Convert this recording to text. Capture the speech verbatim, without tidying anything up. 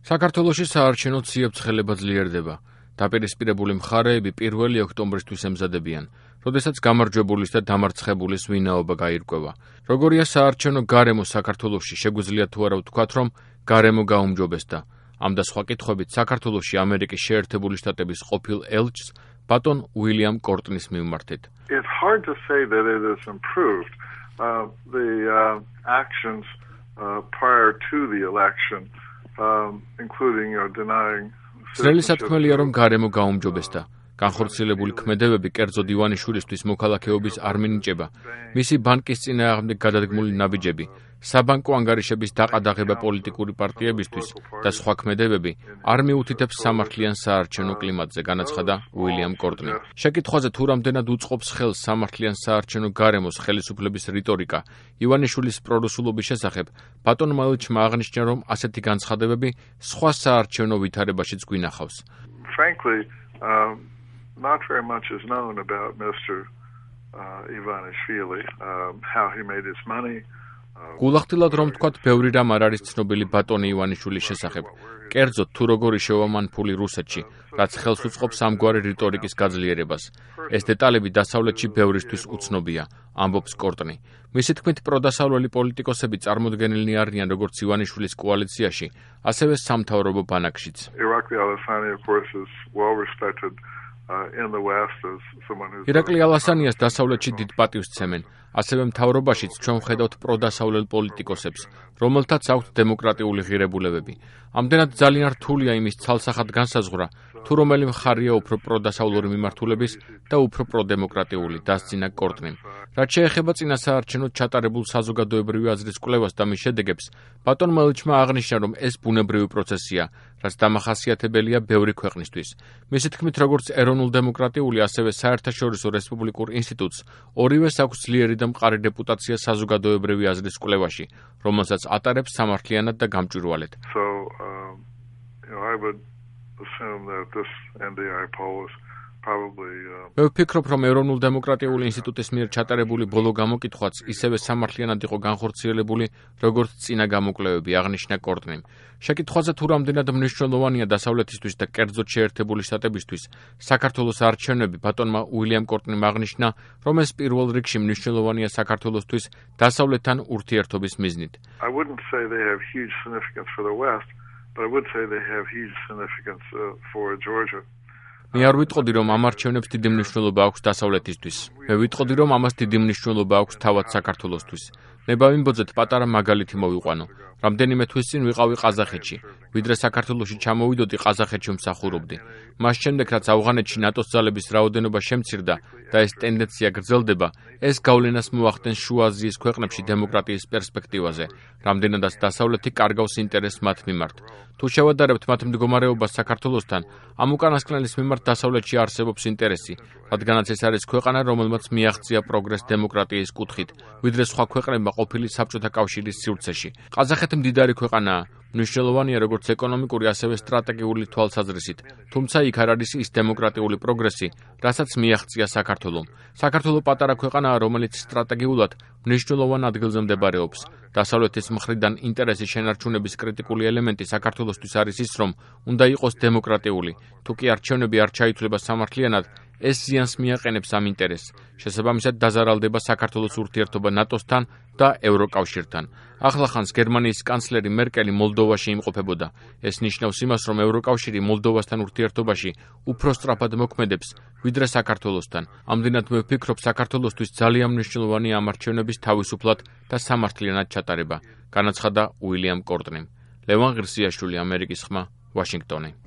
საქართველოში საარჩევნო ციებ-ცხელება ძლიერდება. დაპირისპირებული მხარეები პირველი ოქტომბრისთვის ემზადებიან, როდესაც გამარჯვებულის და დამარცხებულის ვინაობა გაირკვევა. როგორია საარჩევნო გარემო საქართველოში, შეგვიძლია თუ არა ვთქვათ, რომ გარემო გაუმჯობესდა. ამ და სხვა კითხვებით საქართველოში ამერიკის შეერთებული შტატების ყოფილ ელჩს ბატონ უილიამ კორტნის მივმართეთ. It's hard to say that it has improved. Uh, the uh, actions uh, prior to the election, um, including uh, denying ძნელი სათქმელია, რომ გარემო გაუმჯობესდა. განხორციელებული ქმედებები კერძოდ ივანიშვილისთვის მოქალაქეობის არ მინიჭება, მისი ბანკის წინააღმდეგ გადადგმული ნაბიჯები, საბანკო ანგარიშების დაყადაღება პოლიტიკური პარტიებისთვის და სხვა ქმედებები არ მიუთითებს სამართლიან საარჩევნო კლიმატზე, განაცხადა უილიამ კორტნი. შეკითხვაზე თუ რამდენად უწყობს ხელს სამართლიან საარჩევნო გარემოს ხელისუფლების რიტორიკა ივანიშვილის პრორუსულობის შესახებ, ბატონმა ელჩმა აღნიშნა, რომ ასეთი განცხადებები სხვა საარჩევნო ვითარებაშიც გვინახავს. Frankly, um, not very much is known about Mister Uh, Ivanishvili, um, how he made his money. გულახდილად რომ თქვათ, ბევრი რამ არ არის ცნობილი ბატონი ივანიშვილის შესახებ. კერძოდ თუ როგორი შევამან ფული რუსეთში, რაც ხელს უწყობს ამგვარი რიტორიკის გაძლიერებას. ეს დეტალები დასავლეთში ბევრისთვის უცნობია, ამბობს კორტნი. მისი თქმით, პროდასავლელი პოლიტიკოსები წარმოდგენილნი არიან როგორც ივანიშვილის კოალიციაში, ასევე სამთავრობო ბანაკშიც. Irakli Alasani, of course, is well respected uh, in the West as someone who's ირაკლი ალასანიას დასავლეთში დიდ პატივს ცემენ. ასევე მთავრობაშიც ჩვენ ვხედავთ პროდასავლელ პოლიტიკოსებს, რომელთაც აქვთ დემოკრატიული ღირებულებები. ამდენად ძალიან რთულია იმის ცალსახად განსაზღვრა, თუ რომელი მხარეა უფრო პროდასავლური მიმართულების და უფრო პროდემოკრატიული, დასძინა კორტნიმ. რაც შეეხება წინასაარჩევნოდ ჩატარებულ საზოგადოებრივი აზრის კვლევას და მის შედეგებს, ბატონმა ელჩმა აღნიშნა, რომ ეს ბუნებრივი პროცესია, რაც დამახასიათებელია ბევრი ქვეყნისთვის. მისი თქმით, როგორც ეროვნულ-დემოკრატიული, ასევე საერთაშორისო რესპუბლიკურ ინსტიტუტს, ორივეს აქვს ძლიერი და მყარი რეპუტაცია საზოგადოებრივი აზრის კვლევაში, რომელსაც ატარებს სამართლიანად და გამჭვირვალედ. So, um, you know, I would assume that this N D I poll is probably uh... მე ვფიქრობ, რომ ეროვნულ-დემოკრატიული ინსტიტუტის მიერ ჩატარებული ბოლო გამოკითხვაც ისევე სამართლიანად იყო განხორციელებული, როგორც წინა გამოკვლევები, აღნიშნა კორტნიმ. შეკითხვაზე თუ რამდენად მნიშვნელოვანია დასავლეთისთვის და კერძოდ შეერთებული შტატებისთვის საქართველოს არჩევნები, ბატონმა უილიამ კორტნიმ აღნიშნა, რომ ეს პირველ რიგში მნიშვნელოვანია საქართველოსთვის დასავლეთთან ურთიერთობის მიზნით. I wouldn't say they have huge significance for the West, but I would say they have huge significance uh, for Georgia. მე არ ვიტყოდი, რომ ამ არჩევნებს დიდი მნიშვნელობა აქვს დასავლეთისთვის. მე ვიტყოდი, რომ ამას დიდი მნიშვნელობა აქვს თავად საქართველოსთვის. ნება ვიმბოძეთ პატარა მაგალითი მოვიყვანო. რამდენიმე თვის წინ ვიყავი ყაზახეთში, ვიდრე საქართველოში ჩამოვიდოდი, ყაზახეთში ვმსახურობდი. მას შემდეგ, რაც ავღანეთში ნატოს ძალების რაოდენობა შემცირდა და ეს ტენდენცია გრძელდება, ეს გავლენას მოახდენს შუა აზიის ქვეყნებში დემოკრატიის პერსპექტივაზე, რამდენადაც დასავლეთი კარგავს ინტერესს მათ მიმართ. თუ შევადარებთ მათ მდგომარეობას საქართველოსთან, ამ უკანასკნელის მიმართ დასავლეთში არსებობს ინტერესი, რადგანაც ეს არის ქვეყანა, რომელმაც მიაღწია პროგრესს დემოკრატიის კუთხით, ვიდრე სხვა ქვეყნებმა ყოფილი საბჭოთა კავშირის სივრცეში. ყაზახეთი მდიდარი ქვეყანაა, მნიშვნელოვანია როგორც ეკონომიკური, ასევე სტრატეგიული თვალსაზრისით, თუმცა იქ არ არის ის დემოკრატიული პროგრესი, რასაც მიაღწია საქართველომ. საქართველო პატარა ქვეყანაა, რომელიც სტრატეგიულად მნიშვნელოვან ადგილზე მდებარეობს. დასავლეთის მხრიდან ინტერესის შენარჩუნების კრიტიკული ელემენტი საქართველოსთვის არის ის, რომ უნდა იყოს დემოკრატიული. თუ კი არჩევნები არ ჩაითვლება სამართლიანად, ეს ზიანს მიაყენებს ამ ინტერესს. შესაბამისად დაზარალდება საქართველოს ურთიერთობა ნატოსთან და ევროკავშირთან. ახლახანს გერმანიის კანცლერი მერკელი მოლდოვაში იმყოფებოდა. ეს ნიშნავს იმას, რომ ევროკავშირი მოლდოვასთან ურთიერთობაში უფრო სწრაფად მოქმედებს, ვიდრე საქართველოსთან. ამდენად მე ვფიქრობ, საქართველოსთვის ძალიან მნიშვნელოვანია ამ არჩევნების თავისუფლად და სამართლიანად ჩატარება, განაცხადა უილიამ კორტნიმ. ლევან ღირსიაშვილი, ამერიკის ხმა, ვაშინგტონი.